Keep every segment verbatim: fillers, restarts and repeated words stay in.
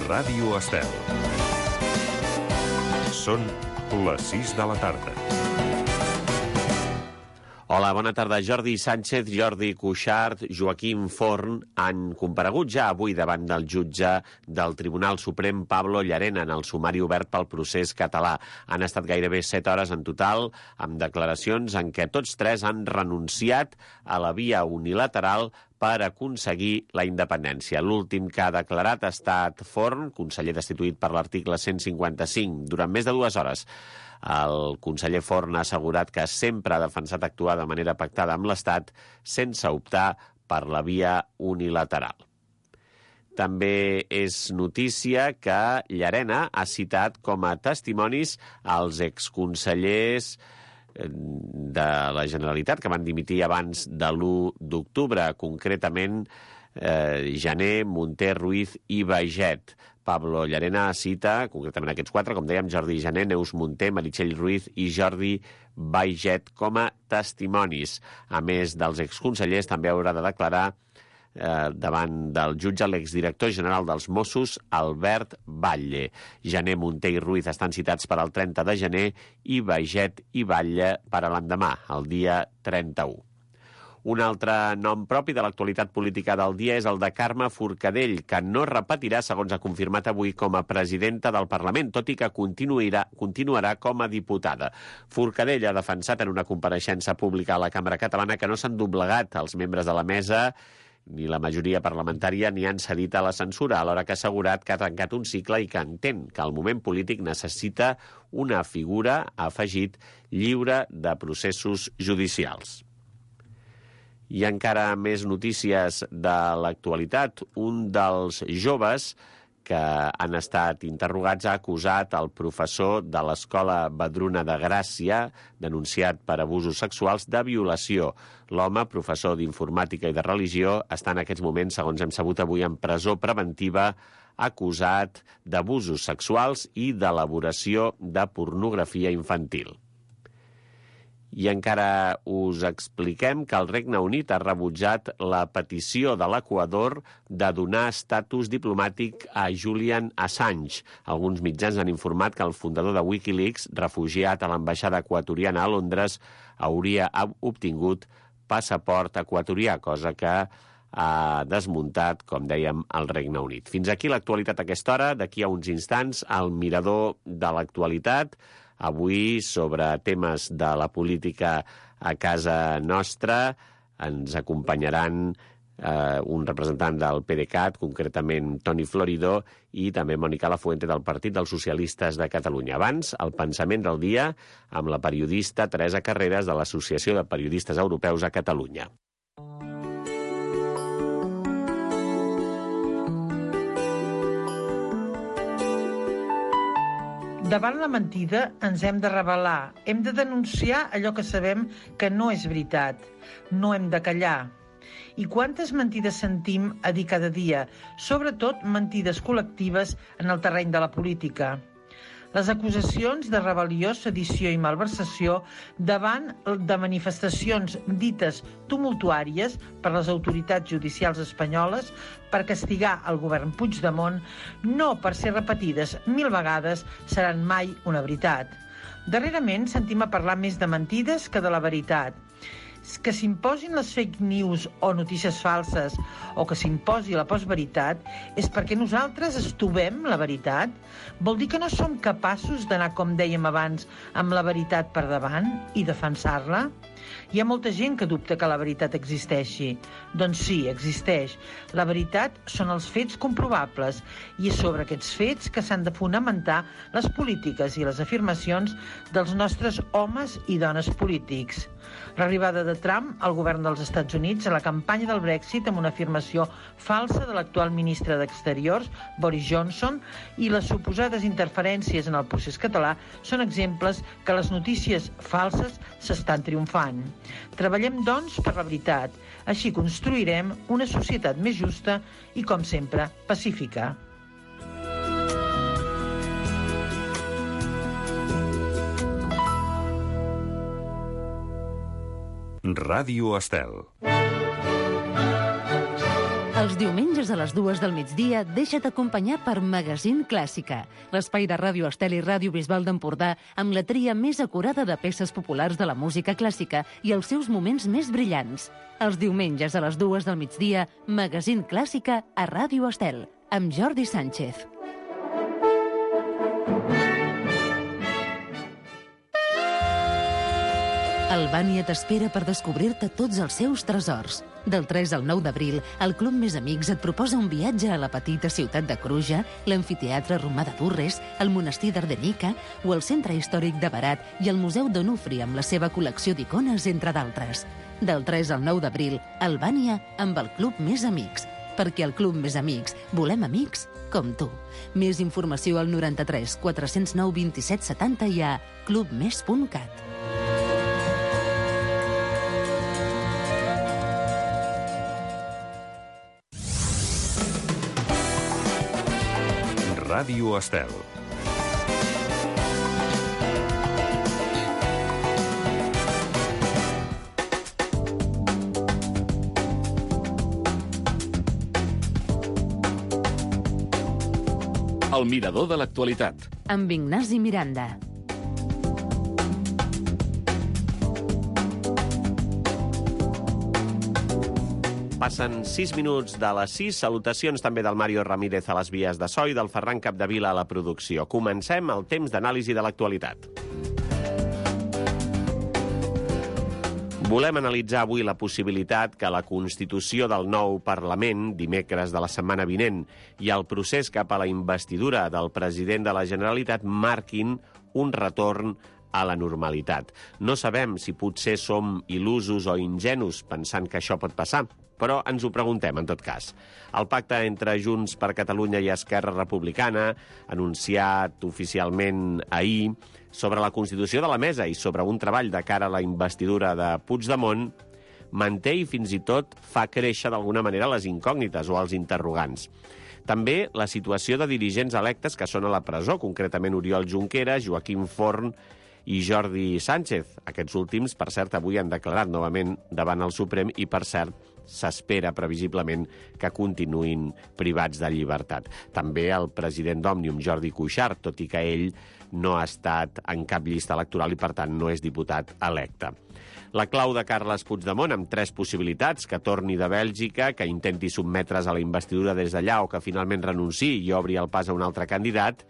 Ràdio Estel. Són les sis de la tarda. Hola, bona tarda. Jordi Sánchez, Jordi Cuixart, Joaquim Forn han comparegut ja avui davant del jutge del Tribunal Suprem, Pablo Llarena, en el sumari obert pel procés català. Han estat gairebé set hores en total, amb declaracions en què tots tres han renunciat a la via unilateral per aconseguir la independència. L'últim que ha declarat ha estat Forn, conseller destituït per l'article cent cinquanta-cinc, durant més de dues hores. El conseller Forn ha assegurat que sempre ha defensat actuar de manera pactada amb l'Estat sense optar per la via unilateral. També és notícia que Llarena ha citat com a testimonis els exconsellers de la Generalitat que van dimitir abans de l'u d'octubre, concretament eh, Jané, Munté, Ruiz i Baiget. Pablo Llarena cita, concretament aquests quatre, com dèiem, Jordi Jané, Neus Munté, Meritxell Ruiz i Jordi Baiget com a testimonis. A més dels exconsellers, també haurà de declarar eh, davant del jutge l'exdirector general dels Mossos, Albert Batlle. Jané, Munté i Ruiz estan citats per al trenta de gener i Baiget i Batlle per a l'endemà, el dia trenta-u. Un altre nom propi de l'actualitat política del dia és el de Carme Forcadell, que no repetirà, segons ha confirmat avui, com a presidenta del Parlament, tot i que continuarà, continuarà com a diputada. Forcadell ha defensat en una compareixença pública a la Cambra Catalana que no s'han doblegat els membres de la mesa ni la majoria parlamentària ni han cedit a la censura, alhora que ha assegurat que ha tancat un cicle i que entén que el moment polític necessita una figura, ha afegit, lliure de processos judicials. I encara més notícies de l'actualitat. Un dels joves que han estat interrogats ha acusat el professor de l'Escola Vedruna de Gràcia, denunciat per abusos sexuals, de violació. L'home, professor d'informàtica i de religió, està en aquests moments, segons hem sabut avui, en presó preventiva, acusat d'abusos sexuals i d'elaboració de pornografia infantil. I encara us expliquem que el Regne Unit ha rebutjat la petició de l'Equador de donar estatus diplomàtic a Julian Assange. Alguns mitjans han informat que el fundador de Wikileaks, refugiat a l'ambaixada equatoriana a Londres, hauria obtingut passaport equatorià, cosa que ha desmuntat, com dèiem, el Regne Unit. Fins aquí l'actualitat a aquesta hora. D'aquí a uns instants, el mirador de l'actualitat, avui sobre temes de la política a casa nostra. Ens acompanyaran eh, un representant del PDeCAT, concretament Toni Floridó, i també Mònica Lafuente del Partit dels Socialistes de Catalunya. Abans, el pensament del dia amb la periodista Teresa Carreras de l'Associació de Periodistes Europeus a Catalunya. Davant la mentida ens hem de rebel·lar, hem de denunciar allò que sabem que no és veritat, no hem de callar. I quantes mentides sentim a dir cada dia, sobretot mentides col·lectives en el terreny de la política. Les acusacions de rebel·lió, sedició i malversació davant de manifestacions dites tumultuàries per les autoritats judicials espanyoles per castigar el govern Puigdemont, no per ser repetides mil vegades, seran mai una veritat. Darrerament sentim a parlar més de mentides que de la veritat. Que s'imposin les fake news o notícies falses o que s'imposi la postveritat és perquè nosaltres estovem la veritat? Vol dir que no som capaços d'anar, com dèiem abans, amb la veritat per davant i defensar-la? Hi ha molta gent que dubta que la veritat existeixi. Doncs sí, existeix. La veritat són els fets comprovables i és sobre aquests fets que s'han de fonamentar les polítiques i les afirmacions dels nostres homes i dones polítics. L'arribada de Trump al govern dels Estats Units a la campanya del Brexit amb una afirmació falsa de l'actual ministre d'Exteriors, Boris Johnson, i les suposades interferències en el procés català són exemples que les notícies falses s'estan triomfant. Treballem, doncs, per la veritat. Així construirem una societat més justa i, com sempre, pacífica. Ràdio Estel. Els diumenges a les dues del migdia deixa't acompanyar per Magazín Clàssica, l'espai de Ràdio Estel i Ràdio Bisbal d'Empordà amb la tria més acurada de peces populars de la música clàssica i els seus moments més brillants. Els diumenges a les dues del migdia, Magazín Clàssica a Ràdio Estel, amb Jordi Sánchez. Albània t'espera per descobrir-te tots els seus tresors. Del tres al nou d'abril, el Club Més Amics et proposa un viatge a la petita ciutat de Cruja, l'amfiteatre romà de Durres, el monestir d'Ardenica o el centre històric de Berat i el Museu d'Onufri amb la seva col·lecció d'icones, entre d'altres. Del tres al nou d'abril, Albània amb el Club Més Amics. Perquè al Club Més Amics volem amics com tu. Més informació al noranta-tres quatre-cents nou vint-i-set setanta i a clubmes punt cat. Ràdio Estel. El mirador de l'actualitat. Amb Ignasi Miranda. Passen sis minuts de les sis. Salutacions també del Mario Ramírez a les vies de so i del Ferran Capdevila a la producció. Comencem el temps d'anàlisi de l'actualitat. Volem analitzar avui la possibilitat que la constitució del nou Parlament, dimecres de la setmana vinent, i el procés cap a la investidura del president de la Generalitat marquin un retorn a la normalitat. No sabem si potser som il·lusos o ingenus pensant que això pot passar, però ens ho preguntem, en tot cas. El pacte entre Junts per Catalunya i Esquerra Republicana, anunciat oficialment ahir, sobre la constitució de la mesa i sobre un treball de cara a la investidura de Puigdemont, manté i fins i tot fa créixer d'alguna manera les incògnites o els interrogants. També la situació de dirigents electes que són a la presó, concretament Oriol Junqueras, Joaquim Forn i Jordi Sánchez. Aquests últims, per cert, avui han declarat novament davant el Suprem i, per cert, s'espera previsiblement que continuïn privats de llibertat. També el president d'Òmnium, Jordi Cuixart, tot i que ell no ha estat en cap llista electoral i, per tant, no és diputat electe. La clau de Carles Puigdemont, amb tres possibilitats: que torni de Bèlgica, que intenti sotmetre's a la investidura des d'allà o que finalment renunciï i obri el pas a un altre candidat,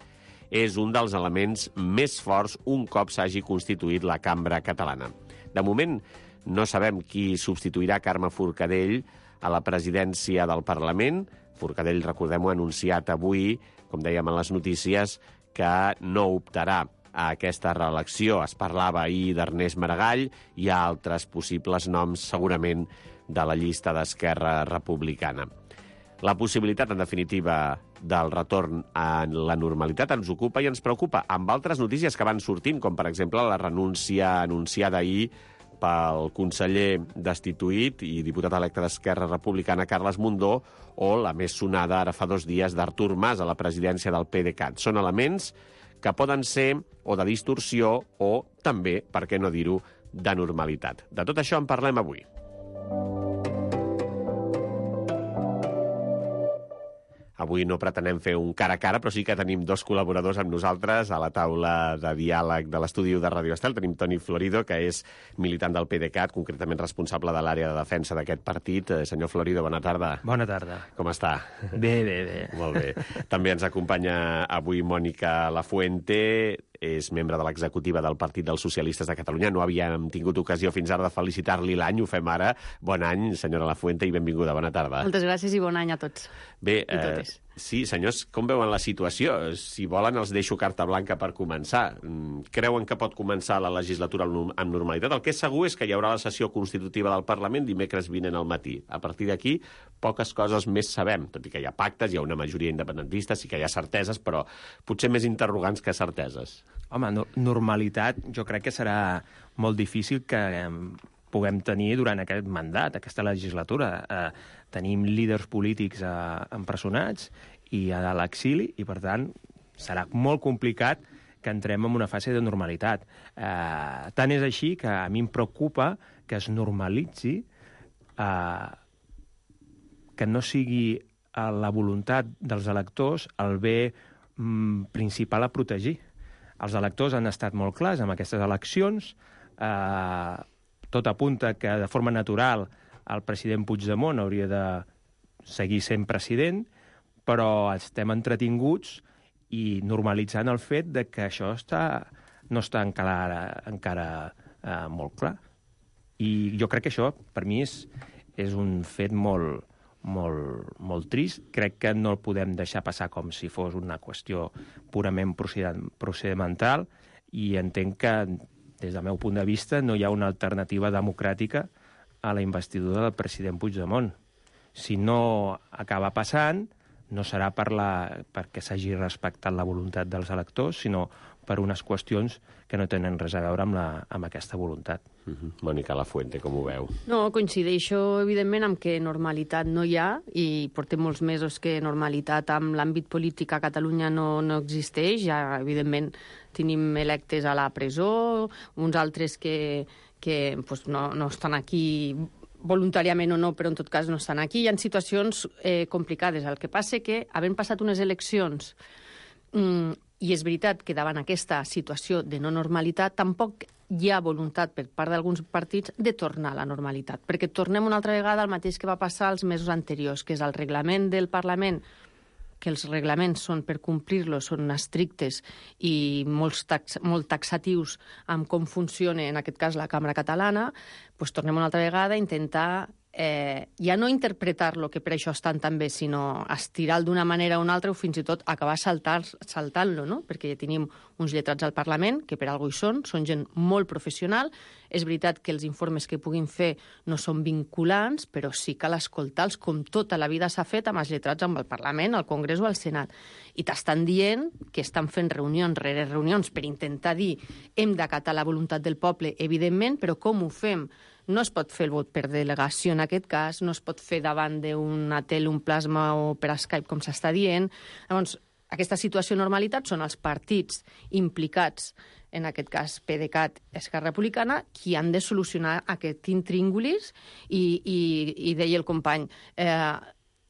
és un dels elements més forts un cop s'hagi constituït la cambra catalana. De moment, no sabem qui substituirà Carme Forcadell a la presidència del Parlament. Forcadell, recordem-ho, ha anunciat avui, com dèiem en les notícies, que no optarà a aquesta reelecció. Es parlava ahir d'Ernest Maragall, hi ha altres possibles noms, segurament, de la llista d'Esquerra Republicana. La possibilitat, en definitiva, del retorn a la normalitat ens ocupa i ens preocupa, amb altres notícies que van sortint, com per exemple la renúncia anunciada ahir pel conseller destituït i diputat electe d'Esquerra Republicana, Carles Mundó, o la més sonada ara fa dos dies d'Artur Mas a la presidència del PDeCAT. Són elements que poden ser o de distorsió o també, per què no dir-ho, de normalitat. De tot això en parlem avui. Avui no pretenem fer un cara a cara, però sí que tenim dos col·laboradors amb nosaltres a la taula de diàleg de l'estudi de Ràdio Estel. Tenim Toni Florido, que és militant del PDeCAT, concretament responsable de l'àrea de defensa d'aquest partit. Senyor Florido, bona tarda. Bona tarda. Com està? Bé, bé, bé. Molt bé. També ens acompanya avui Mònica Lafuente, és membre de l'executiva del Partit dels Socialistes de Catalunya. No havíem tingut ocasió fins ara de felicitar-li l'any, ho fem ara. Bon any, senyora Lafuente, i benvinguda. Bona tarda. Moltes gràcies i bon any a tots. Bé, eh, sí, senyors, com veuen la situació? Si volen, els deixo carta blanca per començar. Creuen que pot començar la legislatura amb normalitat? El que és segur és que hi haurà la sessió constitutiva del Parlament dimecres vinent al matí. A partir d'aquí, poques coses més sabem, tot i que hi ha pactes, hi ha una majoria independentista, sí que hi ha certeses, però potser més interrogants que certeses. Home, no, normalitat jo crec que serà molt difícil que eh, puguem tenir durant aquest mandat, aquesta legislatura. Eh, tenim líders polítics eh, empresonats i a l'exili i, per tant, serà molt complicat que entrem en una fase de normalitat. Eh, tant és així que a mi em preocupa que es normalitzi eh, que no sigui la voluntat dels electors el bé mm, principal a protegir. Els electors han estat molt clars amb aquestes eleccions. Eh, tot apunta que de forma natural el president Puigdemont hauria de seguir sent president, però estem entretinguts i normalitzant el fet de que això està, no està encara, encara eh, molt clar. I jo crec que això, per mi, és, és un fet molt, molt, molt trist. Crec que no el podem deixar passar com si fos una qüestió purament procedimental i entenc que, des del meu punt de vista, no hi ha una alternativa democràtica a la investidura del president Puigdemont. Si no acaba passant, no serà per la, perquè s'hagi respectat la voluntat dels electors, sinó per unes qüestions que no tenen res a veure amb, la, amb aquesta voluntat. Uh-huh. Mònica Lafuente, com ho veu? No, coincideixo, evidentment, amb que normalitat no hi ha, i portem molts mesos que normalitat amb l'àmbit polític a Catalunya no, no existeix. Ja, evidentment, tenim electes a la presó, uns altres que, que pues, no, no estan aquí voluntàriament o no, però en tot cas no estan aquí. Hi ha situacions eh, complicades. El que passa que, havent passat unes eleccions, mm, i és veritat que davant aquesta situació de no normalitat tampoc hi ha voluntat per part d'alguns partits de tornar a la normalitat, perquè tornem una altra vegada al mateix que va passar els mesos anteriors, que és el reglament del Parlament, que els reglaments són per complir-los, són estrictes i molts tax, molt taxatius amb com funciona, en aquest cas, la Cambra Catalana, doncs tornem una altra vegada a intentar eh, ja no interpretar-lo, que per això estan tan bé, sinó estirar-lo d'una manera o una altra o fins i tot acabar saltar, saltant-lo, no? Perquè ja tenim uns lletrats al Parlament, que per alguna cosa hi són, són gent molt professional. És veritat que els informes que puguin fer no són vinculants, però sí cal escoltar-los com tota la vida s'ha fet amb els lletrats amb el Parlament, al Congrés o al Senat. I t'estan dient que estan fent reunions rere reunions per intentar dir hem d'acatar la voluntat del poble, evidentment, però com ho fem? No es pot fer el vot per delegació en aquest cas, no es pot fer davant d'una tele, un plasma o per Skype, com s'està dient. Llavors, aquesta situació de normalitat són els partits implicats, en aquest cas PDeCAT, Esquerra Republicana, qui han de solucionar aquest intríngulis i, i, i deia el company, eh,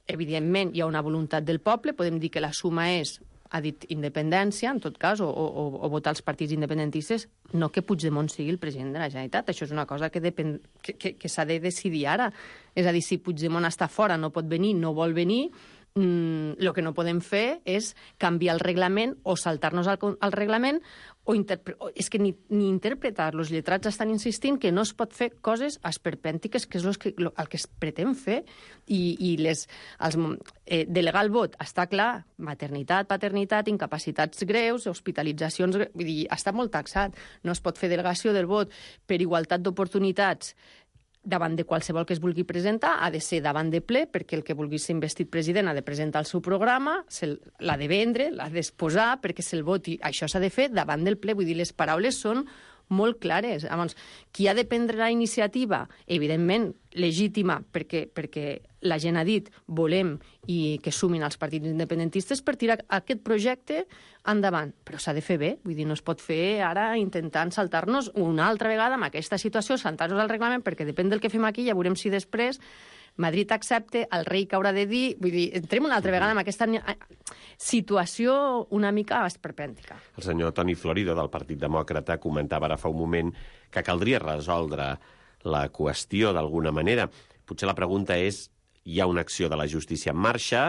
evidentment hi ha una voluntat del poble, podem dir que la suma és, ha dit independència, en tot cas, o, o, o votar els partits independentistes, no que Puigdemont sigui el president de la Generalitat. Això és una cosa que, depèn, que, que, que s'ha de decidir ara. És a dir, si Puigdemont està fora, no pot venir, no vol venir, mm, el que no podem fer és canviar el reglament o saltar-nos al, al reglament o, interpre... o és que ni, ni interpretar. Els lletrats estan insistint que no es pot fer coses esperpèntiques, que és el que, el que es pretén fer, i, i les, els, eh, delegar el vot està clar, maternitat, paternitat, incapacitats greus, hospitalitzacions, vull dir, està molt taxat. No es pot fer delegació del vot per igualtat d'oportunitats davant de qualsevol que es vulgui presentar, ha de ser davant de ple, perquè el que vulgui ser investit president ha de presentar el seu programa, l'ha de vendre, l'ha d'exposar, perquè se'l voti. Això s'ha de fer davant del ple. Vull dir, les paraules són molt clares. Llavors, qui ha de prendre la iniciativa? Evidentment, legítima, perquè, perquè la gent ha dit volem i que sumin els partits independentistes per tirar aquest projecte endavant. Però s'ha de fer bé. Vull dir, no es pot fer ara intentant saltar-nos una altra vegada amb aquesta situació, saltar-nos al reglament, perquè depèn del que fem aquí, ja veurem si després Madrid accepta, el rei que haurà de dir... Vull dir, entrem una altra vegada en aquesta situació una mica esperpèntica. El senyor Toni Florido, del Partit Demòcrata, comentava ara fa un moment que caldria resoldre la qüestió d'alguna manera. Potser la pregunta és, hi ha una acció de la justícia en marxa,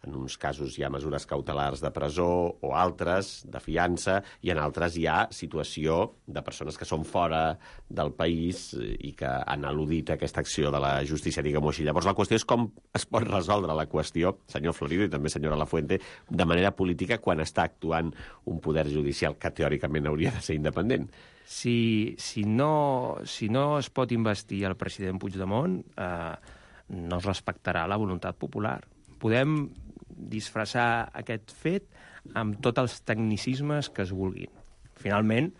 en uns casos hi ha mesures cautelars de presó o altres, de fiança, i en altres hi ha situació de persones que són fora del país i que han al·ludit aquesta acció de la justícia, diguem-ho així. Llavors la qüestió és com es pot resoldre la qüestió, senyor Florido i també senyora Lafuente, de manera política quan està actuant un poder judicial que teòricament hauria de ser independent. Si, si, no, si no es pot investir el president Puigdemont, eh, no es respectarà la voluntat popular. Podem disfressar aquest fet amb tots els tecnicismes que es vulguin. Finalment,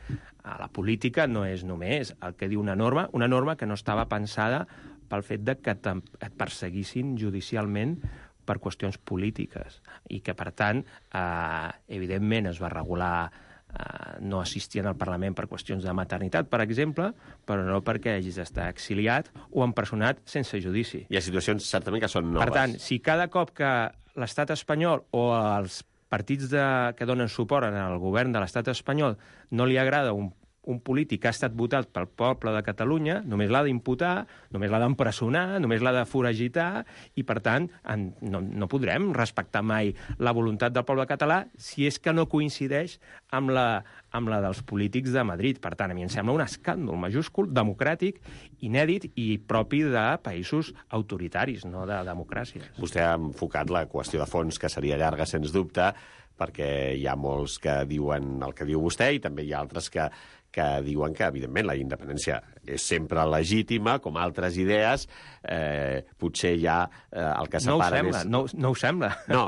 la política no és només el que diu una norma, una norma que no estava pensada pel fet de que et perseguissin judicialment per qüestions polítiques i que, per tant, eh, evidentment es va regular uh, no assistien al Parlament per qüestions de maternitat, per exemple, però no perquè hagis d'estar exiliat o empresonat sense judici. Hi ha situacions, certament, que són noves. Per tant, si cada cop que l'estat espanyol o els partits de, que donen suport al govern de l'estat espanyol no li agrada un un polític que ha estat votat pel poble de Catalunya, només l'ha d'imputar, només l'ha d'empresonar, només l'ha de foragitar, i, per tant, en, no, no podrem respectar mai la voluntat del poble català si és que no coincideix amb la, amb la dels polítics de Madrid. Per tant, a mi em sembla un escàndol majúscul, democràtic, inèdit i propi de països autoritaris, no de democràcies. Vostè ha enfocat la qüestió de fons, que seria llarga, sens dubte, perquè hi ha molts que diuen el que diu vostè i també hi ha altres que que diuen que, evidentment, la independència és sempre legítima, com altres idees, eh, potser ja eh, el que separa... No ho sembla, és... no, no ho sembla. No,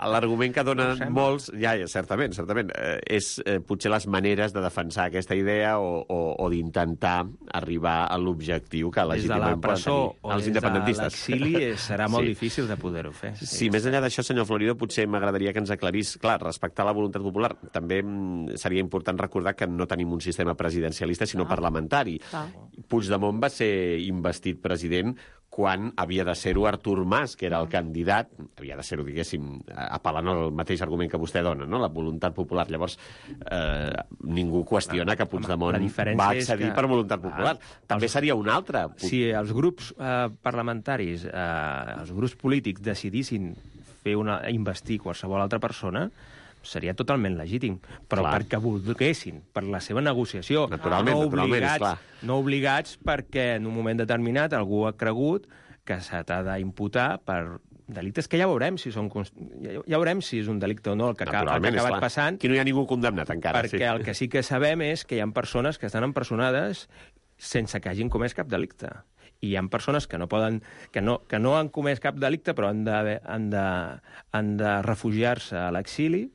l'argument que donen no molts, ja, certament, certament, eh, és eh, potser les maneres de defensar aquesta idea o, o, o d'intentar arribar a l'objectiu que legítimament poden tenir els independentistes. Des de l'exili serà molt sí. difícil de poder-ho fer. Sí, sí, més enllà d'això, senyor Florido, potser m'agradaria que ens aclarís, clar, respectar la voluntat popular, també seria important recordar que no tenim un sistema presidencialista, sinó ah. parlamentari. Ah. Puigdemont va ser investit president quan havia de ser-ho Artur Mas, que era el candidat, havia de ser-ho, diguéssim, apel·lant al mateix argument que vostè dona, no? La voluntat popular. Llavors, eh, ningú qüestiona que Puigdemont va accedir que... per voluntat popular. Ah, també els... seria un altre. Si els grups eh, parlamentaris, eh, els grups polítics decidissin fer una, investir qualsevol altra persona, seria totalment legítim, però clar. Perquè volguessin, per la seva negociació, naturalment, no, naturalment, obligats, no obligats perquè en un moment determinat algú ha cregut que se t'ha d'imputar per delictes que ja veurem si són ja, ja veurem si és un delicte o no el que, el que ha acabat clar. Passant. Aquí no hi ha ningú condemnat encara. Perquè sí. el que sí que sabem és que hi ha persones que estan empresonades sense que hagin comès cap delicte. I hi ha persones que no poden, que no, que no han comès cap delicte però han de, han de, han de refugiar-se a l'exili.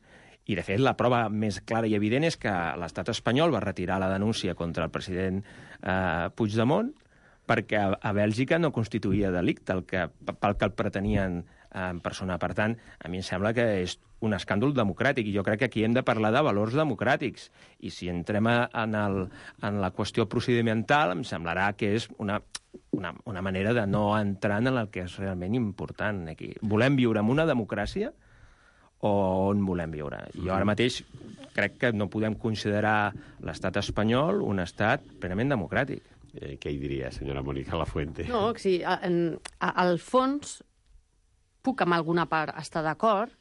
I, de fet, la prova més clara i evident és que l'estat espanyol va retirar la denúncia contra el president eh, Puigdemont perquè a, a Bèlgica no constituïa delicte el que, pel que el pretenien empersonar. Per tant, a mi em sembla que és un escàndol democràtic i jo crec que aquí hem de parlar de valors democràtics. I si entrem en, el, en la qüestió procedimental, em semblarà que és una, una, una manera de no entrar en el que és realment important aquí. Volem viure en una democràcia o on volem viure. Jo ara mateix crec que no podem considerar l'estat espanyol un estat plenament democràtic. Eh, què hi diria, senyora Mònica Lafuente? No, sí, en, a, al fons puc amb alguna part estar d'acord,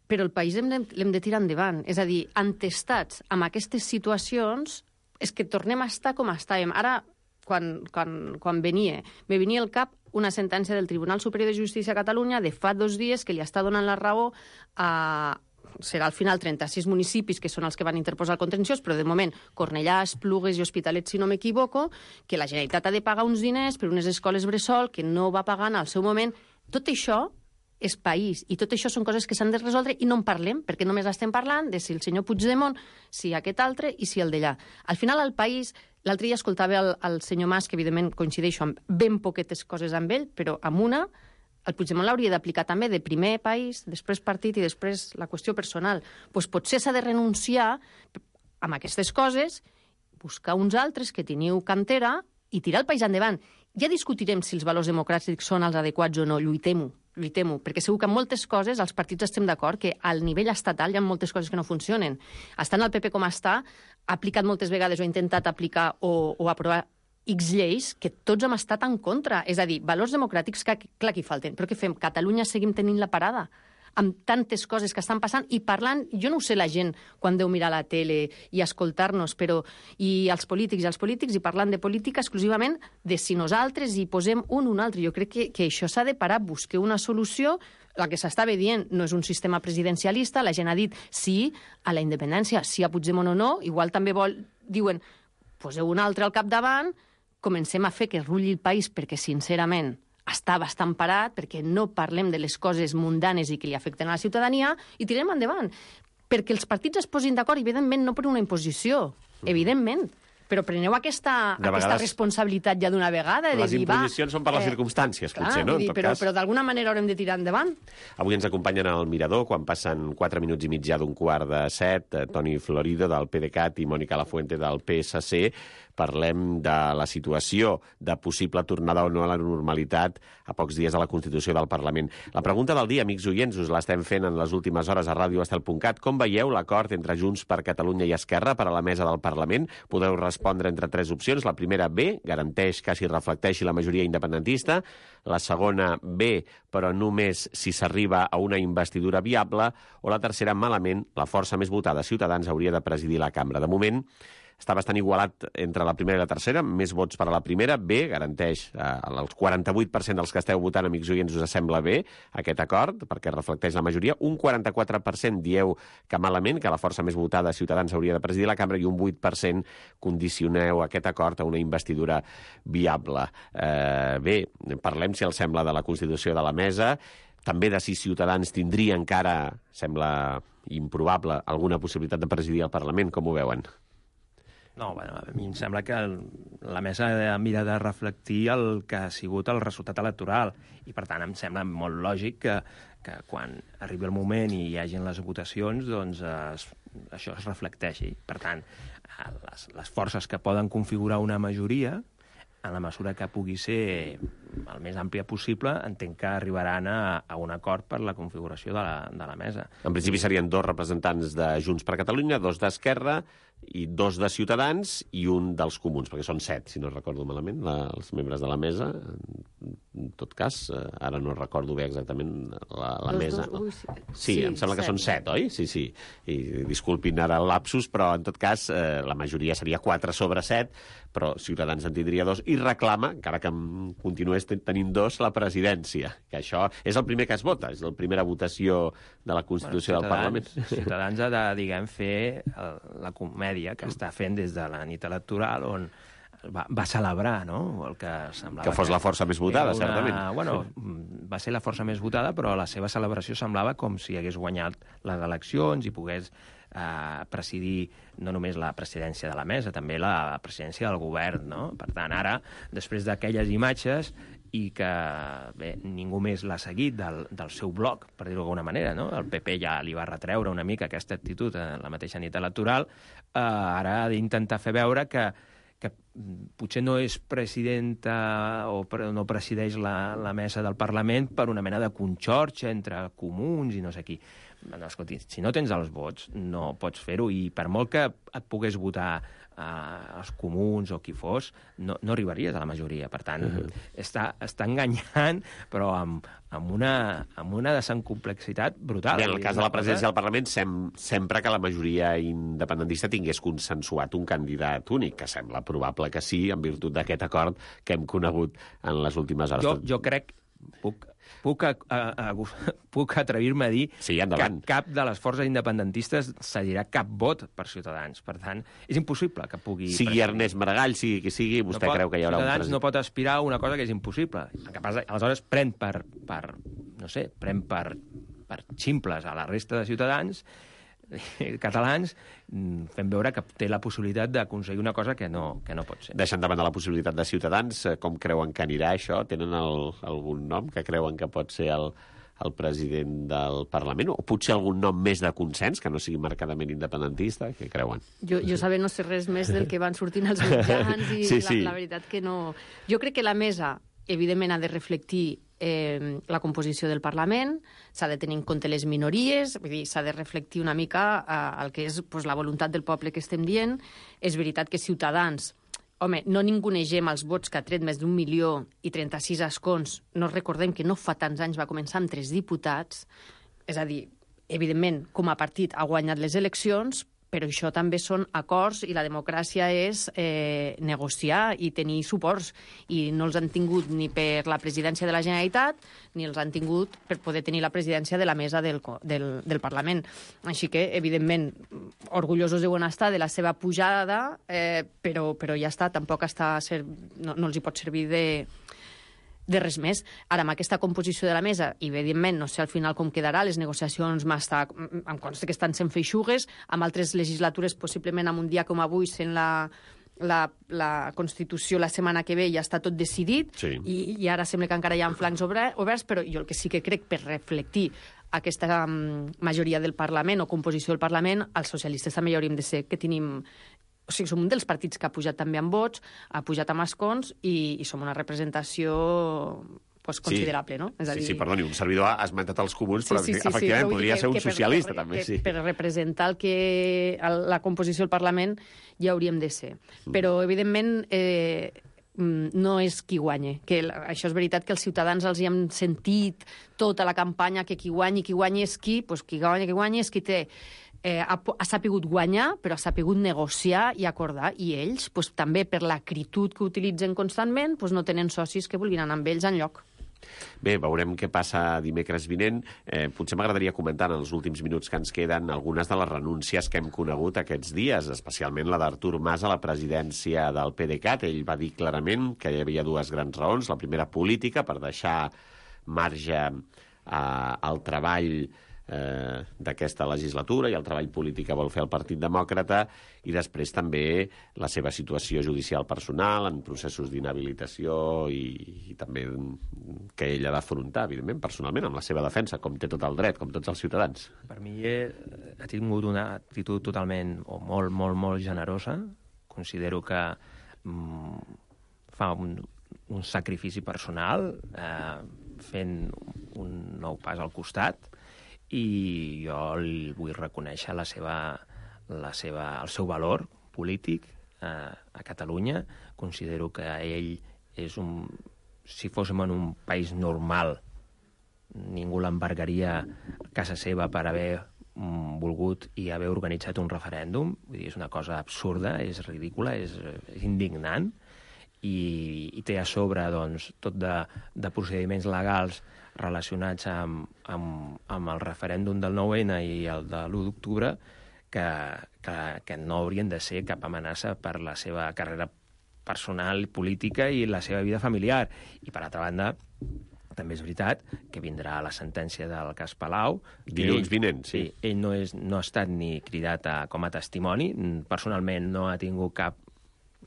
però el país l'hem de, l'hem de tirar endavant. És a dir, entestats amb aquestes situacions és que tornem a estar com estàvem. Ara, quan, quan, quan venia, me venia al cap una sentència del Tribunal Superior de Justícia a Catalunya de fa dos dies que li està donant la raó a... serà al final trenta-sis municipis que són els que van interposar el contenciós, però de moment Cornellà, Esplugues i Hospitalet, si no m'equivoco, que la Generalitat ha de pagar uns diners per unes escoles bressol que no va pagar en el seu moment. Tot això és país, i tot això són coses que s'han de resoldre i no en parlem, perquè només estem parlant de si el senyor Puigdemont, si aquest altre i si el d'allà. Al final el país... L'altre dia escoltava el, el senyor Mas, que evidentment coincideixo amb ben poquetes coses amb ell, però amb una, el Puigdemont l'hauria d'aplicar també de primer país, després partit i després la qüestió personal. Pues potser s'ha de renunciar amb aquestes coses, buscar uns altres que teniu cantera i tirar el país endavant. Ja discutirem si els valors democràtics són els adequats o no, lluitem-ho. lluitem-ho, perquè segur que en moltes coses els partits estem d'acord que al nivell estatal hi ha moltes coses que no funcionen. Estant el P P com està, ha aplicat moltes vegades o ha intentat aplicar o, o aprovar X lleis que tots hem estat en contra. És a dir, valors democràtics que, clar que hi falten. Però què fem? Catalunya seguim tenint la parada amb tantes coses que estan passant i parlant, jo no ho sé la gent quan deu mirar la tele i escoltar-nos, però i els polítics i els polítics i parlant de política exclusivament de si nosaltres hi posem un o un altre. Jo crec que, que això s'ha de parar, buscar una solució. La que s'estava dient no és un sistema presidencialista, la gent ha dit sí a la independència, sí a Puigdemont o no, igual també vol, diuen, poseu un altre al capdavant, comencem a fer que rulli el país perquè, sincerament, està bastant parat, perquè no parlem de les coses mundanes i que li afecten a la ciutadania, i tirem endavant. Perquè els partits es posin d'acord, evidentment, no per una imposició, evidentment, però preneu aquesta, De aquesta vegades- responsabilitat ja d'una vegada. De Les dir, va, imposicions són per les eh, circumstàncies, clar, potser, no? vull En dir, tot però, cas. però d'alguna manera haurem de tirar endavant. Avui ens acompanyen al Mirador, quan passen quatre minuts i mig ja d'un quart de set, eh, Toni Florido, del PDeCAT, i Mònica Lafuente, del P S C. Parlem de la situació de possible tornada o no a la normalitat a pocs dies de la Constitució del Parlament. La pregunta del dia, amics oients, us l'estem fent en les últimes hores a ràdio estel punt cat. Com veieu l'acord entre Junts per Catalunya i Esquerra per a la mesa del Parlament? Podeu respondre entre tres opcions. La primera, B, garanteix que s'hi reflecteixi la majoria independentista. La segona, B, però només si s'arriba a una investidura viable. O la tercera, malament, la força més votada, Ciutadans, hauria de presidir la cambra. De moment, està bastant igualat entre la primera i la tercera, més vots per a la primera. B, garanteix eh, el quaranta-vuit per cent dels que esteu votant, amics oients, us sembla bé aquest acord, perquè reflecteix la majoria. Un quaranta-quatre per cent dieu que malament, que la força més votada, Ciutadans, hauria de presidir la cambra, i un vuit per cent condicioneu aquest acord a una investidura viable. Eh, bé, parlem, si els sembla, de la constitució de la mesa, també de si Ciutadans tindria encara, sembla improbable, alguna possibilitat de presidir el Parlament. Com ho veuen? No, bueno, a mi em sembla que el, la mesa mira de reflectir el que ha sigut el resultat electoral i, per tant, em sembla molt lògic que, que quan arribi el moment i hi hagin les votacions, doncs es, això es reflecteixi. Per tant, les, les forces que poden configurar una majoria, en la mesura que pugui ser el més àmplia possible, entenc que arribaran a, a un acord per la configuració de la, de la mesa. En principi serien dos representants de Junts per Catalunya, dos d'Esquerra i dos de Ciutadans i un dels Comuns, perquè són set, si no recordo malament, la, els membres de la mesa. En tot cas, ara no recordo bé exactament la, la Dos, mesa. dos, ui, sí. Sí, Sí, em sembla que set. són set, oi? Sí, sí. I disculpin ara el lapsus, però en tot cas eh, la majoria seria quatre sobre set, però Ciutadans en tindria dos, i reclama, encara que continués tenint dos, la presidència, que això és el primer que es vota, és la primera votació de la Constitució Bueno, del Parlament. Ciutadans ha de, diguem, fer el, la comèdia que està fent des de la nit electoral, on va, va celebrar, no?, el que semblava... Que fos la força més votada, una, certament. Bueno, va ser la força més votada, però la seva celebració semblava com si hagués guanyat les eleccions i pogués eh, presidir no només la presidència de la mesa, també la presidència del govern, no? Per tant, ara, després d'aquelles imatges, i que bé, ningú més l'ha seguit del, del seu bloc, per dir-ho d'alguna manera, no? El P P ja li va retreure una mica aquesta actitud en la mateixa nit electoral, eh, ara ha d'intentar fer veure que, que potser no és presidenta o pre, no presideix la, la mesa del Parlament per una mena de conxorxa entre comuns i no sé qui. No, escolti, si no tens els vots, no pots fer-ho, i per molt que et pogués votar eh, els comuns o qui fos, no, no arribaries a la majoria. Per tant, uh-huh. està, està enganyant, però amb, amb, una, amb una desencomplexitat brutal. Bé, en el cas de la presidència del Parlament, sem sempre que la majoria independentista tingués consensuat un candidat únic, que sembla probable que sí, en virtut d'aquest acord que hem conegut en les últimes hores. Jo, jo crec... Puc, puc, a, a, a, puc atrevir-me a dir sí, que cap de les forces independentistes cedirà cap vot per Ciutadans. Per tant, és impossible que pugui... Sigui Ernest Maragall, sigui qui sigui, vostè no pot, creu que hi haurà Ciutadans un president? no pot aspirar a una cosa que és impossible. Aleshores, pren per, per, no sé, pren per, per ximples a la resta de ciutadans catalans, fent veure que té la possibilitat d'aconseguir una cosa que no, que no pot ser. Deixant de banda la possibilitat de Ciutadans, com creuen que anirà això? Tenen el, algun nom que creuen que pot ser el, el president del Parlament? O potser algun nom més de consens, que no sigui marcadament independentista? Què creuen? Jo, jo saber no sé res més del que van sortint als mitjans i sí, sí. La, la veritat que no... Jo crec que la mesa, evidentment, ha de reflectir eh, la composició del Parlament, s'ha de tenir en compte les minories, vull dir, s'ha de reflectir una mica eh, el que és pues, la voluntat del poble que estem dient. És veritat que Ciutadans, home, no ningunegem els vots que ha tret més d'un milió i trenta-sis escons. No recordem que no fa tants anys va començar amb tres diputats, és a dir, evidentment, com a partit ha guanyat les eleccions, però això també són acords i la democràcia és eh, negociar i tenir suports, i no els han tingut ni per la presidència de la Generalitat ni els han tingut per poder tenir la presidència de la mesa del, del, del Parlament. Així que, evidentment, orgullosos deuen estar de la seva pujada, eh, però, però ja està, tampoc està ser, no, no els hi pot servir de... de res més. Ara, amb aquesta composició de la mesa, i evidentment, no sé al final com quedarà, les negociacions m'està, em consta que estan sent feixugues, amb altres legislatures, possiblement amb un dia com avui, sent la, la, la Constitució la setmana que ve ja està tot decidit, sí. i, i ara sembla que encara hi ha flancs oberts, però jo el que sí que crec, per reflectir aquesta um, majoria del Parlament o composició del Parlament, els socialistes també hi hauríem de ser que tenim... O sigui, som un dels partits que ha pujat també amb vots, ha pujat amb escons, i, i som una representació pues, considerable, sí. no? És a dir... Sí, sí, perdoni, un servidor ha esmentat els comuns, però sí, sí, sí, efectivament sí, podria que, ser un que per, socialista, que, també, que sí. Per representar el que, el, la composició del Parlament ja hauríem de ser. Mm. Però, evidentment, eh, no és qui guanya. Que això és veritat que els ciutadans els hi hem sentit tota la campanya, que qui guanyi, qui guanyi és qui, doncs qui guanya, qui guanyi és qui té... Eh, ha, ha sapigut guanyar, però ha sapigut negociar i acordar. I ells, pues, també per l'acritud que utilitzen constantment, pues, no tenen socis que vulguin anar amb ells enlloc. Bé, veurem què passa dimecres vinent. Eh, potser m'agradaria comentar en els últims minuts que ens queden algunes de les renúncies que hem conegut aquests dies, especialment la d'Artur Mas a la presidència del PDeCAT. Ell va dir clarament que hi havia dues grans raons. La primera, política, per deixar marge eh, al treball eh, d'aquesta legislatura i el treball polític que vol fer el Partit Demòcrata, i després també la seva situació judicial personal en processos d'inhabilitació i, i també que ell ha d'afrontar, evidentment, personalment, amb la seva defensa, com té tot el dret, com tots els ciutadans. Per mi eh, ha tingut una actitud totalment, o molt, molt, molt generosa. Considero que mm, fa un, un sacrifici personal eh, fent un nou pas al costat, i jo li vull reconèixer la seva, la seva, el seu valor polític eh, a Catalunya. Considero que ell és un... Si fóssim en un país normal, ningú l'embargaria a casa seva per haver mm, volgut i haver organitzat un referèndum. Vull dir, és una cosa absurda, és ridícula, és, és indignant, i, i té a sobre doncs, tot de, de procediments legals relacionats amb, amb, amb el referèndum del nou ene i el de l'u d'octubre, que, que, que no haurien de ser cap amenaça per la seva carrera personal, política i la seva vida familiar. I, per altra banda, també és veritat que vindrà la sentència del cas Palau. Dilluns vinent, sí. sí. Ell no, és, no ha estat ni cridat a, com a testimoni. Personalment no ha tingut cap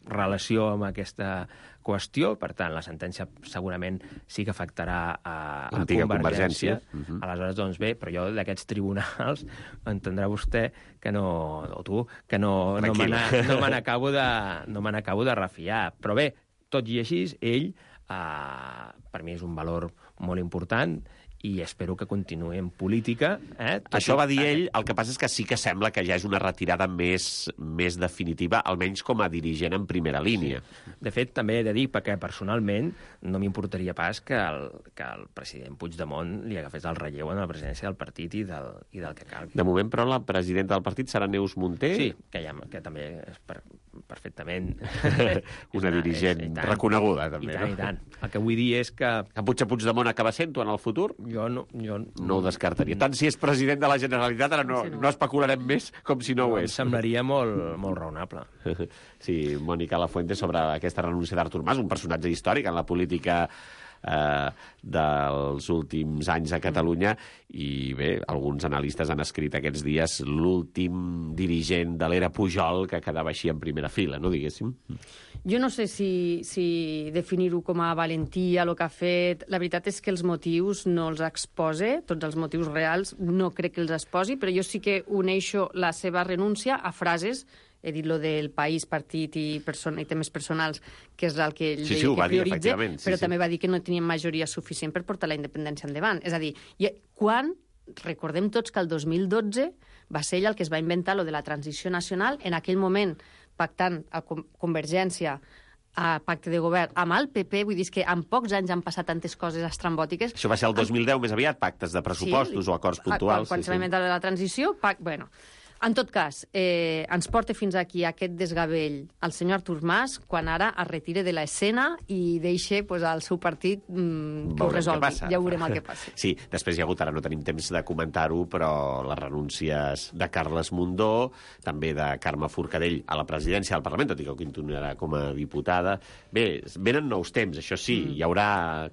relació amb aquesta qüestió, per tant, la sentència segurament sí que afectarà a, a Convergència. Uh-huh. Aleshores, doncs bé, però jo d'aquests tribunals entendrà vostè que no, o tu, que no, no me no me n'acabo de, no me n'acabo de refiar. Però bé, tot i així, ell, eh, per mi és un valor molt important, i espero que continuï en política. Eh? Això va dir ell, el que passa és que sí que sembla que ja és una retirada més, més definitiva, almenys com a dirigent en primera línia. Sí. De fet, també he de dir, perquè personalment no m'importaria pas que el, que el president Puigdemont li agafés el relleu en la presidència del partit i del, i del que calgui. De moment, però, la presidenta del partit serà Neus Munté? Sí, que, ja, que també és per, perfectament... una, una dirigent és, reconeguda, també. I tant, no? i tant. El que vull dir és que... Que potser Puigdemont acaba sent-ho en el futur? Jo no, jo no ho descartaria. Tant si és president de la Generalitat, ara no, no especularem més com si no ho és. Em semblaria molt, molt raonable. Sí, Mònica Lafuente, sobre aquesta renúncia d'Artur Mas, un personatge històric en la política eh, dels últims anys a Catalunya, i bé, alguns analistes han escrit aquests dies l'últim dirigent de l'era Pujol que quedava així en primera fila, no diguéssim? Jo no sé si, si definir-ho com a valentia, el que ha fet. La veritat és que els motius no els expose, tots els motius reals no crec que els exposi, però jo sí que uneixo la seva renúncia a frases, he dit lo del país, partit i, persona, i temes personals, que és el que ell sí, deia sí, que dir, prioritza, sí, però sí. també va dir que no tenien majoria suficient per portar la independència endavant. És a dir, quan... Recordem tots que el dos mil dotze va ser ell el que es va inventar lo de la transició nacional, en aquell moment pactant a Convergència a pacte de govern amb el P P, vull dir que en pocs anys han passat tantes coses estrambòtiques. Això va ser el dos mil deu, més aviat, pactes de pressupostos sí, o acords puntuals. Quan, quan sí, se va inventar la transició, pac... bueno... En tot cas, eh, ens porta fins aquí aquest desgavell el senyor Artur Mas, quan ara es retira de l'escena i deixa pues, el seu partit mm, que ho resolgui. Ja veurem el que passa. Sí, després hi ha hagut, ara no tenim temps de comentar-ho, però les renúncies de Carles Mundó, també de Carme Forcadell a la presidència del Parlament, tot i que continuarà com a diputada. Bé, venen nous temps, això sí, mm. hi haurà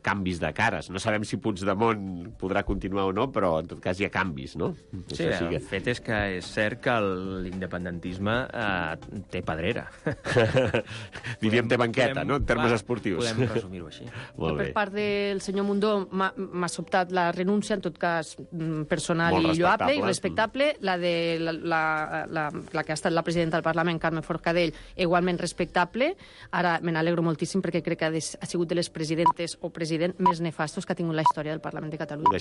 canvis de cares. No sabem si Puigdemont podrà continuar o no, però en tot cas hi ha canvis, no? Sí, el fet és que és cert cert que l'independentisme eh, té pedrera. Diríem té banqueta, podem, no?, en termes clar, esportius. Podem resumir-ho així. Molt Per bé. part del senyor Mundó m'ha sobtat la renúncia, en tot cas personal Molt i lloable i respectable. respectable. La de la, la, la, la que ha estat la presidenta del Parlament, Carme Forcadell, igualment respectable. Ara me n'alegro moltíssim perquè crec que ha, des, ha sigut de les presidentes o president més nefastos que ha tingut la història del Parlament de Catalunya.